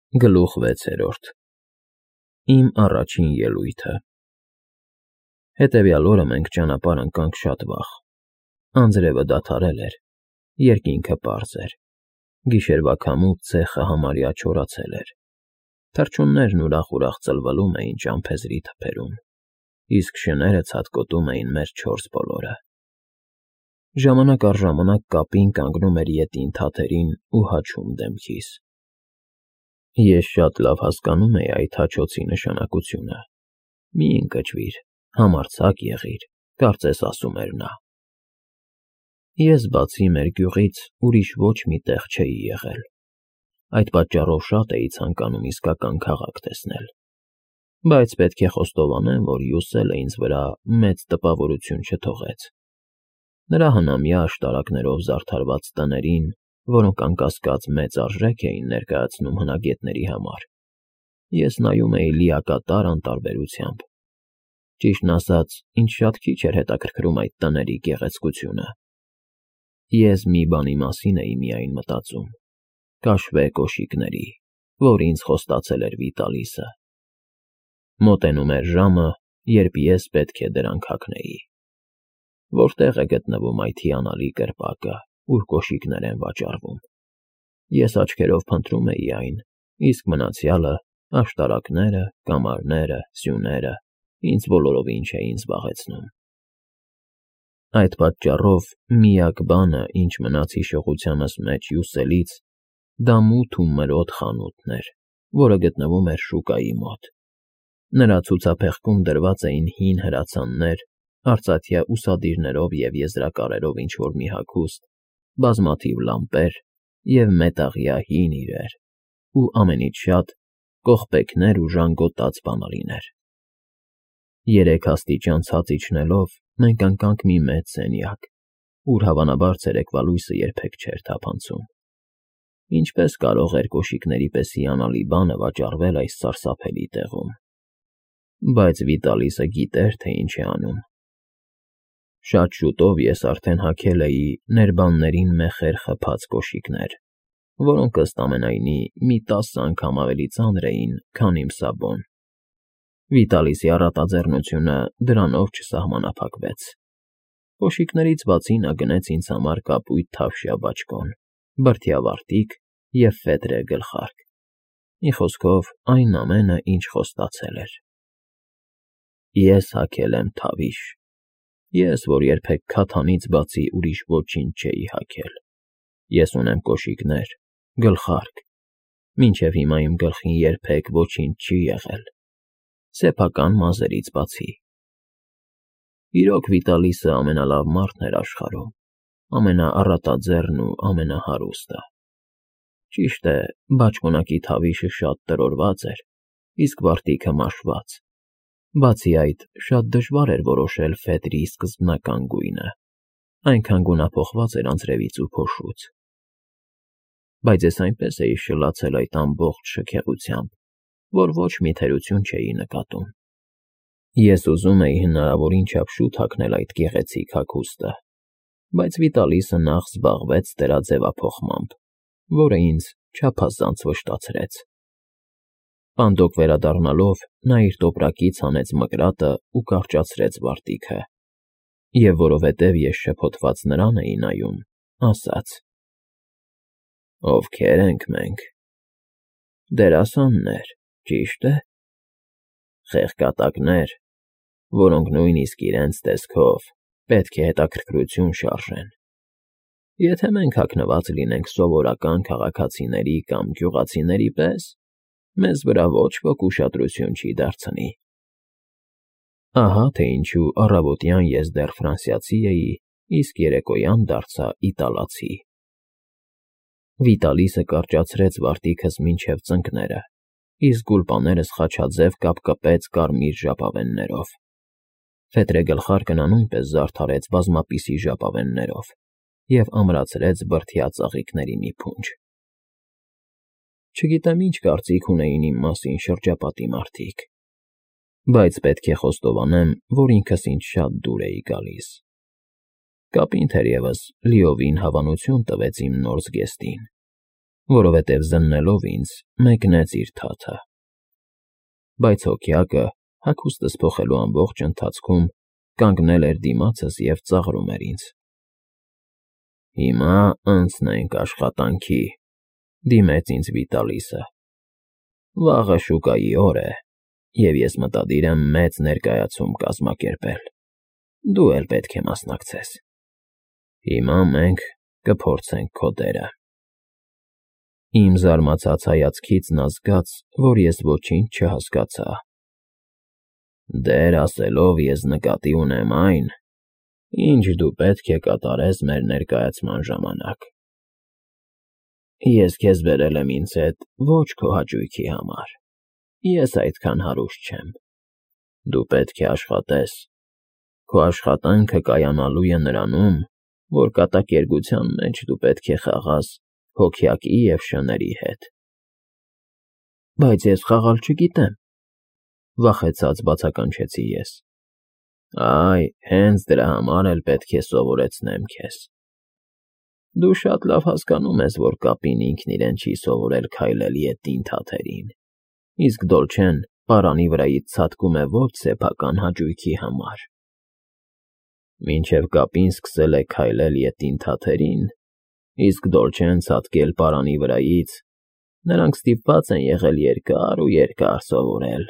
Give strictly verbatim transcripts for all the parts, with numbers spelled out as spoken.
Գլուխ վեցերորդ Իմ առաջին ելույթը Հետևյալ օրը մենք ճանապարհ ընկանք շատ վաղ, անձրևը դադարել էր, երկինքը պարզ էր, գիշերվա քամուց ցեխը համարյա չորացել էր, թռչուններն ուրախ֊ուրախ ծլվլում էին ճամփեզրի թփերում, իսկ շները ցատկոտում էին մեր չորս բոլորը։ Ժամանակ առ ժամանակ կապին կանգնում էր ետին թաթերին ու հաչում դեմքիս։ Ես շատ լավ հասկանում էի այդ հաչոցի նշանակությունը։ Մի ընկճվիր, համարձակ եղիր, կարծես ասում էր նա։ Ես բացի մեր գյուղից ուրիշ ոչ մի տեղ չէի եղել։ Այդ պատճառով շատ էի ցանկանում իսկական քաղաք տեսնել։ Բայց պետք է խոստովանեմ, որ Յուսելը ինձ վրա մեծ տպավորություն չթողեց։ Նրա հնամյա աշտարակներով զարդարված տներին, որոնք անկասկած մեծ արժեք էին ներկայացնում հնագետների համար, ես նայում էի լիակատար անտարբերությամբ։ Ճիշտն ասած, ինձ շատ քիչ էր հետաքրքրում այդ տների գեղեցկությունը։ Ես մի բանի մասին էի միայն մտածում. կաշվե կոշիկների, որ ինձ խոստացել էր Վիտալիսը։ Մոտենում էր ժամը, երբ ես պետք է դրանք հագնեի։ Որտեղ է գտնվում այդ հիանալի կրպակը, ուր կոշիկներ են վաճառվում։ Ես աչքերով փնտրում էի այն, իսկ մնացյալը, աշտարակները, կամարները, սյուները, ինձ բոլորովին չէին զբաղեցնում։ Այդ պատճառով միակ բանը, ինչ մնաց հիշողությանս մեջ Յուսելից, դա մութ ու մրոտ խանութն էր, որը գտնվում էր շուկայի մոտ։ Նրա ցուցափեղկում դրված էին հին հրացաններ, արծաթյա ուսադիրներով և եզրակարերով ինչ֊որ մի հագուստ, բազմաթիվ լամպեր և մետաղյա հին իրեր, ու ամենից շատ կողպեքներ ու ժանգոտած բանալիներ։ Երեք աստիճան ցած իջնելով մենք ընկանք մի մեծ սենյակ, ուր հավանաբար ցերեկվա լույսը երբեք չէր թափանցում։ Ինչպե՞ս կարող էր կոշիկների պես հիանալի բանը վաճառվել այս սարսափելի տեղում։ Բայց Վիտալիսը գիտեր, թե ինչ է անում։ Շատ շուտով ես արդեն հագել էի ներբաններին մեխեր խփած կոշիկներ, որոնք ըստ ամենայնի մի տասը անգամ ավելի ծանր էին, քան իմ սաբոն։ Վիտալիսի առատաձեռնությունը դրանով չսահմանափակվեց։ Կոշիկներից բացի նա գնեց ինձ համար կապույտ թավշյա բաճկոն, բրդյա֊վարտիք և ֆետրե գլխարկ։ Մի խոսքով, այն ամենը, ինչ խոստացել էր։ Ես հագել եմ թավիշ։ Ես, որ երբեք քաթանից բացի ուրիշ ոչինչ չէի հագել։ Ես ունեմ կոշիկներ, գլխարկ, մինչև հիմա իմ գլխին երբեք ոչինչ չի եղել, սեփական մազերից բացի։ Իրոք Վիտալիսը ամենալավ մարդն էր աշխարհում, ամենաառատաձեռն ու ամենահարուստը։ Ճիշտ է, բաճկոնակի թավիշը շատ տրորված էր, իսկ վարտիքը մաշված։ Բացի այդ, շատ դժվար էր որոշել ֆետրի սկզբնական գույնը, այնքան գունափոխված էր անձրևից ու փոշուց։ Բայց ես այնպես էի շլացել այդ ամբողջ շքեղությամբ, որ ոչ մի թերություն չէի նկատում։ Ես ուզում էի հնարավորին չափ շուտ հագնել այդ գեղեցիկ հագուստը, բայց Վիտալիսը նախ զբաղվեց դրա ձևափոխմամբ, որը ինձ չափազանց վշտացրեց։ Պանդոկ վերադառնալով, նա իր տոպրակից հանեց մկրատը ու կարճացրեց վարտիքը, և որովհետև ես շփոթված նրան էի նայում, ասաց. «Ովքե՞ր ենք մենք։ Դերասաններ, ճիշտ է։ Խեղկատակներ, որոնք նույնիսկ իրենց տեսքով պետք է հետաքրքրություն շարժեն։ Եթե մենք հագնված լինենք սովորական քաղաքացիների կամ գյուղացիների պես, մեզ վրա ոչ ոք ուշադրություն չի դարձնի»։ Ահա թե ինչու առավոտյան ես դեռ ֆրանսիացի էի, իսկ երեկոյան դարձա իտալացի։ Վիտալիսը կարճացրեց վարտիքս մինչև ծնկները, իսկ գուլպաներս խաչաձև կապկպեց կարմիր ժապավեններով։ Ֆետրե գլխարկը նա նույնպես զարդարեց բազմապիսի ժապավեններով և ամրացրեց բրդյա ծաղիկների մի փունջ։ Չգիտեմ ինչ կարծիք ունեին իմ մասին շրջապատի մարդիկ, բայց պետք է խոստովանեմ, որ ինքս ինձ շատ դուր էի գալիս։ Կապին թերևս լիովին հավանություն տվեց իմ նոր զգեստին, որովհետև զննելով ինձ մեկնեց իր թաթը։ Բայց հոգյակը, հագուստս փոխելու ամբողջ ընթացքում, կանգնել էր դիմացս և ծաղրում էր ինձ։ «Հիմա անցնենք աշխատանքի», դիմեց ինձ Վիտալիսը։ «Վաղը շուկայի օր է, և ես մտադիր եմ մեծ ներկայացում կազմակերպել։ Դու էլ պետք է մասնակցես։ Հիմա մենք կփորձենք քո դերը»։ Իմ զարմացած հայացքից նա զգաց, որ ես ոչինչ չհասկացա։ «Դեր ասելով ես նկատի ունեմ այն, ինչ դու պետք է կատարես մեր ներկայացման ժամանակ։ Ես քեզ բերել եմ ինձ հետ ոչ քո հաճույքի համար, ես այդքան հարուստ չեմ։ Դու պետք է աշխատես։ Քո աշխատանքը կայանալու է նրանում, որ կատակերգության մեջ դու պետք է խաղաս հոգյակի և շների հետ»։ «Բայց ես խաղալ չգիտեմ», վախեցած բացականչեցի ես։ «Այ, հենց դրա համար էլ պետք է սովորեցնեմ քեզ։ Դու շատ լավ հասկանում ես, որ կապին ինքն իրեն չի սովորել քայլել ետին թաթերին, իսկ Դոլչեն պարանի վրայից ցատկում է ոչ սեփական հաճույքի համար։ Մինչև կապին սկսել է քայլել ետին թաթերին, իսկ Դոլչեն ցատկել պարանի վրայից, նրանք ստիպված են եղել երկար ու երկար սովորել։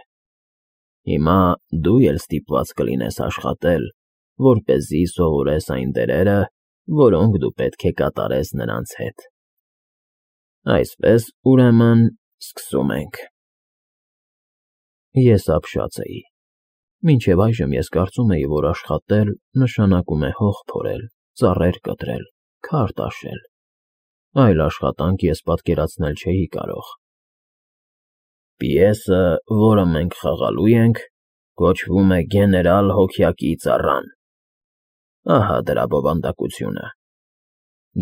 Հիմա դու էլ ստիպված կլինես աշխատել, որպեսզի սովորես այն դերերը, որոնք դու պետք է կատարես նրանց հետ։ Այսպես, ուրեմն, սկսում ենք»։ Ես ապշած էի։ Մինչև այժմ ես կարծում էի, որ աշխատել նշանակում է հող փորել, ծառեր կտրել, քար տաշել։ Այլ աշխատանք ես պատկերացնել չէի կարող։ «Պիեսը, որը մենք խաղալու ենք, կոչվում է «Գեներալ Հոգյակի ծառան»։ Ահա դրա բովանդակությունը։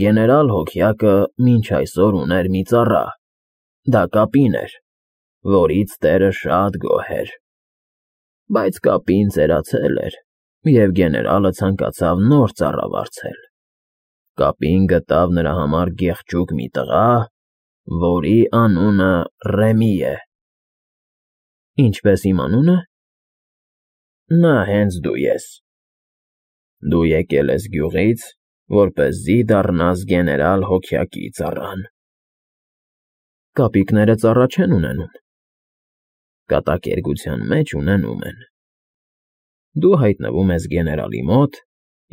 Գեներալ Հոգյակը մինչ այսօր ուներ մի ծառա, դա Կապին էր, որից տերը շատ գոհ էր։ Բայց Կապին ծերացել էր, և գեներալը ցանկացավ նոր ծառա վարձել։ Կապին գտավ նրա համար գեղեցիկ մի տղա, որի անունը Ռեմի է։ Ինչպես իմ անունը։ Նա հենց դու ես։ Դու եկել ես գյուղից, որպեսզի դառնաս գեներալ Հոգյակի ծառան։ Կապիկները ծառա չեն ունենում։ Կատակերգության մեջ ունենում են։ Դու հայտնվում ես գեներալի մոտ,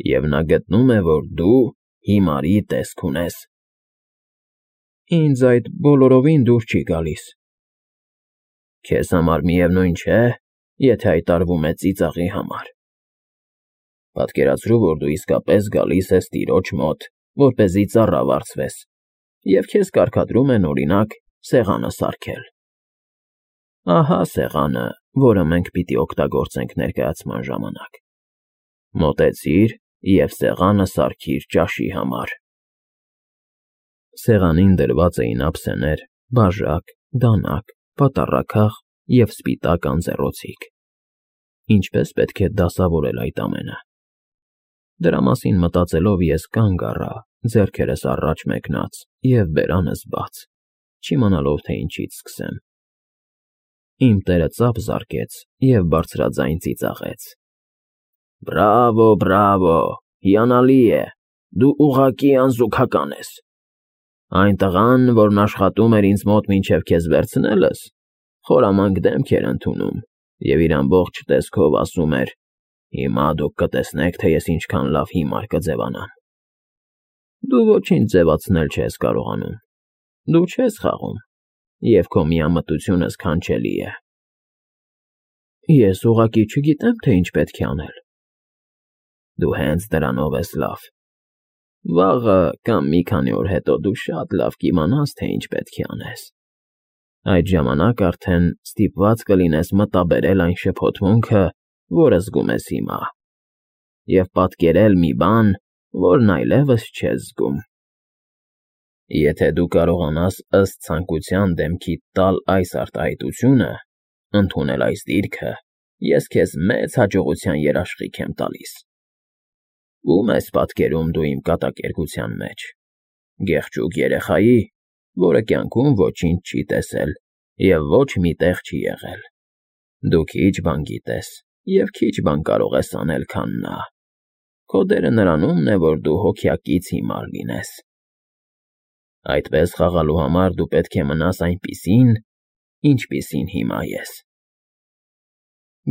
և նա գտնում է, որ դու հիմարի տեսք ունես։ Ինձ այդ բոլորովին դուր չի գալիս։ Քեզ համար միևնույն չէ, եթե հայտարարվում է ծիծաղի համար։ Պատկերացրու, որ դու իսկապես գալիս ես տիրոջ մոտ, որպեսզի ծառա վարձվես, և քեզ կարգադրում են, օրինակ, սեղանը սարքել։ Ահա սեղանը, որը մենք պիտի օգտագործենք ներկայացման ժամանակ։ Մոտեցիր և սեղանը սարքիր ճաշի համար։ Սեղանին դրված էին ափսեներ, բաժակ, դանակ, պատառաքաղ և սպիտակ անձեռոցիկ։ Ինչպես պետք է դասավորել այդ ամենը։ Դրա մասին մտածելով ես կանգ առա, ձեռքերս առաջ մեկնած և բերանս բաց, չիմանալով, թե ինչից սկսեմ։ Իմ տերը ծափ զարկեց և բարձրաձայն ծիծաղեց. «Բրավո, բրավո, հիանալի է, դու ուղղակի անզուգական ես։ Այն տղան, որն աշխատում էր ինձ մոտ մինչև քեզ վերցնելս, խորամանկ դեմք էր ընդունում և իր ամբողջ տեսքով ասում էր. հիմա դուք կտեսնեք, թե ես ինչքան լավ հիմար կձևանամ։ Դու ոչինչ ձևացնել չես կարողանում։ Դու չես խաղում, և քո միամտությունը սքանչելի է։ Ես ուղղակի չգիտեմ, թե ինչ պետք է անել։ Դու հենց դրանով ես լավ։ Վաղը կամ մի քանի օր հետո դու շատ լավ կիմանաս, թե ինչ պետք է անես։ Այդ ժամանակ արդեն ստիպված կլինես մտաբերել այն շփոթմունքը, որը զգում ես հիմա, և պատկերել մի բան, որն այլևս չես զգում։ Եթե դու կարողանաս ըստ ցանկության դեմքիդ տալ այս արտահայտությունը, ընդունել այս դիրքը, ես քեզ մեծ հաջողության երաշխիք եմ տալիս։ Ո՞ւմ ես պատկերում դու իմ կատակերգության մեջ։ Գեղեցիկ երեխայի, որը կյանքում ոչինչ չի տեսել և ոչ մի տեղ չի եղել։ Դու քիչ բան գիտես և քիչ բան կարող ես անել, քան նա։ Քո դերը նրանումն է, որ դու հոգյակից հիմար լինես։ Այդպես խաղալու համար դու պետք է մնաս այնպիսին, ինչպիսին հիմա ես։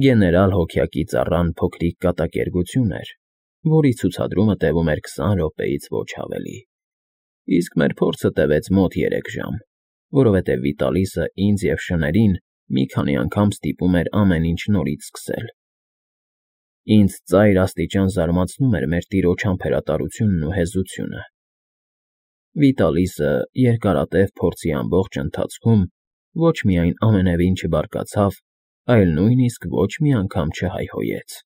Գեներալ հոգյակի ծառան փոքրիկ կատակերգություն էր, որի ցուցադրումը տևում էր քսան րոպեից ոչ ավելի, իսկ մեր փորձը տևեց մոտ երեք ժամ, որովհետև Վիտալիսը ինձ և շներին մի քանի անգամ ստիպում էր ամեն ինչ նորից սկսել։ Ինձ ծայր աստիճան զարմացնում էր մեր տիրոջ համբերատարությունն ու հեզությունը։ Վիտալիսը երկարատև փորձի ամբողջ ընթացքում ոչ միայն ամենևին չբարկացավ, այլ նույնիսկ ոչ մի անգամ չհայհոյեց։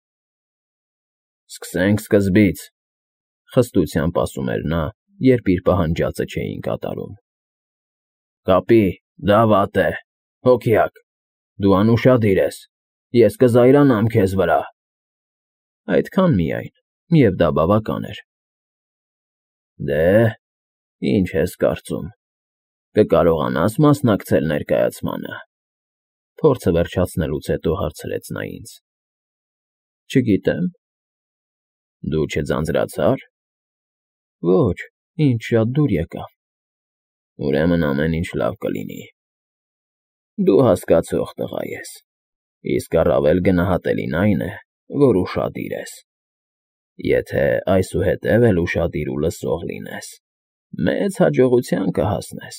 «Սկսենք սկզբից», ֊ խստությամբ ասում էր նա, երբ իր պահանջածը չէին կատարում։ «Կապի, դա վատ է, հոգյակ, դու անուշադիր ես, ես կզայրանամ քեզ վրա»։ Այդքան միայն, և դա բավական էր։ «Դե, ինչ ես կարծում, կկարողանա՞ս մասնակցել ներկայացմանը», ֊ փորձը վերջացնելուց հետո հարցրեց նա ինձ։ «Չգիտեմ»։ «Դու չձանձրացա՞ր»։ «Ոչ, ինձ շատ դուր եկավ»։ «Ուրեմն ամեն ինչ լավ կլինի։ Դու հասկացող տղա ես, իսկ առավել գնահատելին այն է, որ ուշադիր ես։ Եթե այսուհետև էլ ուշադիր ու լսող լինես, մեծ հաջողության կհասնես»։